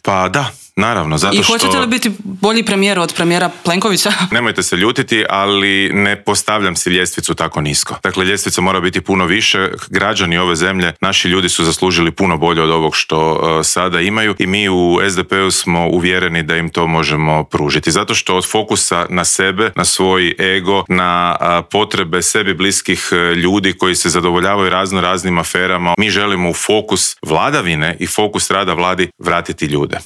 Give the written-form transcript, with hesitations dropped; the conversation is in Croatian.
Pa da, naravno, zato što... I hoćete li biti bolji premijer od premijera Plenkovića? Nemojte se ljutiti, ali ne postavljam si ljestvicu tako nisko. Dakle, ljestvica mora biti puno više. Građani ove zemlje, naši ljudi su zaslužili puno bolje od ovog što sada imaju i mi u SDP-u smo uvjereni da im to možemo pružiti. Zato što od fokusa na sebe, na svoj ego, na potrebe sebi bliskih ljudi koji se zadovoljavaju raznim aferama, mi želimo u fokus vladavine i fokus rada vladi vratiti ljude.